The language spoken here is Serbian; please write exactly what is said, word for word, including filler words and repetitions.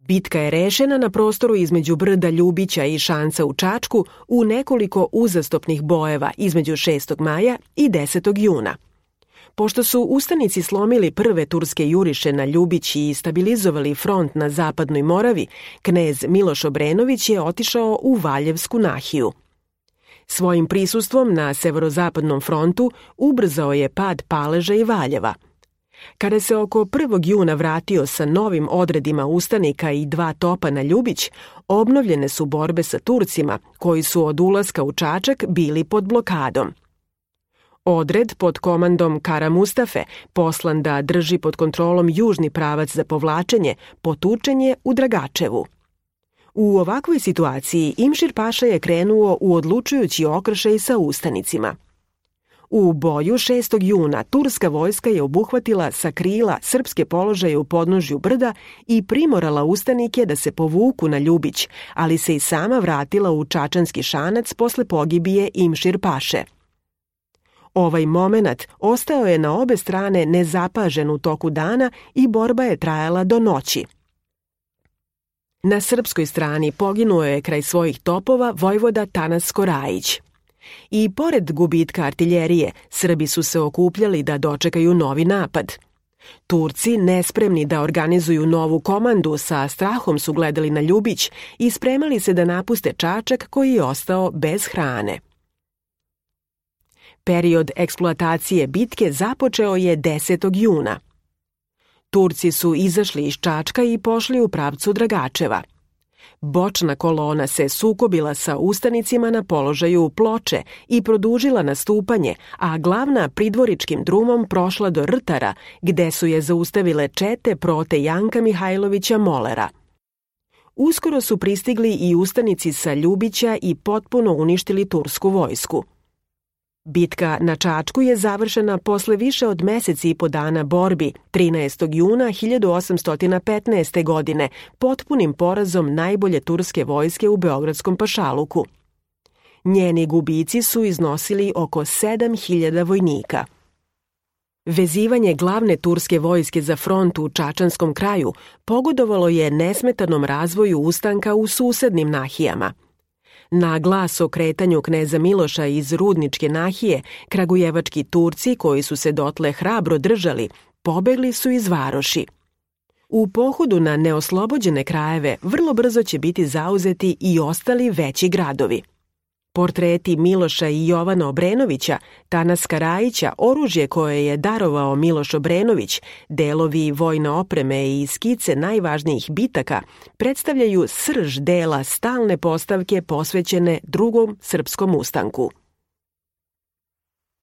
Bitka je rešena na prostoru između brda Ljubića i Šanca u Čačku u nekoliko uzastopnih bojeva između šestog maja i desetog juna. Pošto su ustanici slomili prve turske juriše na Ljubić i stabilizovali front na zapadnoj Moravi, knez Miloš Obrenović je otišao u Valjevsku nahiju. Svojim prisustvom na severozapadnom frontu ubrzao je pad Paleža i Valjeva. Kada se oko prvog juna vratio sa novim odredima ustanika i dva topa na Ljubić, obnovljene su borbe sa Turcima, koji su od ulaska u Čačak bili pod blokadom. Odred pod komandom Kara Mustafe, poslan da drži pod kontrolom južni pravac za povlačenje, potučen je u Dragačevu. U ovakvoj situaciji Imšir Paša je krenuo u odlučujući okršaj sa ustanicima. U boju šestog juna turska vojska je obuhvatila sa krila srpske položaje u podnožju brda i primorala ustanike da se povuku na Ljubić, ali se i sama vratila u Čačanski Šanac posle pogibije Imšir Paše. Ovaj momenat ostao je na obe strane nezapažen u toku dana i borba je trajala do noći. Na srpskoj strani poginuo je kraj svojih topova vojvoda Tanasko Rajić. I pored gubitka artiljerije, Srbi su se okupljali da dočekaju novi napad. Turci, nespremni da organizuju novu komandu, sa strahom su gledali na Ljubić i spremali se da napuste Čačak koji je ostao bez hrane. Period eksploatacije bitke započeo je desetog juna. Turci su izašli iz Čačka i pošli u pravcu Dragačeva. Bočna kolona se sukobila sa ustanicima na položaju Ploče i produžila nastupanje, a glavna pridvoričkim drumom prošla do Rtara, gde su je zaustavile čete prote Janka Mihajlovića Molera. Uskoro su pristigli i ustanici sa Ljubića i potpuno uništili tursku vojsku. Bitka na Čačku je završena posle više od meseci i po dana borbi, trinaestog juna hiljadu osamsto petnaeste. godine, potpunim porazom najbolje turske vojske u Beogradskom pašaluku. Njeni gubici su iznosili oko sedam hiljada vojnika. Vezivanje glavne turske vojske za front u Čačanskom kraju pogodovalo je nesmetanom razvoju ustanka u susednim nahijama. Na glas o kretanju kneza Miloša iz Rudničke nahije, kragujevački Turci, koji su se dotle hrabro držali, pobegli su iz varoši. U pohodu na neoslobođene krajeve vrlo brzo će biti zauzeti i ostali veći gradovi. Portreti Miloša i Jovana Obrenovića, Tanaska Rajića, oružje koje je darovao Miloš Obrenović, delovi vojne opreme i skice najvažnijih bitaka predstavljaju srž dela stalne postavke posvećene drugom srpskom ustanku.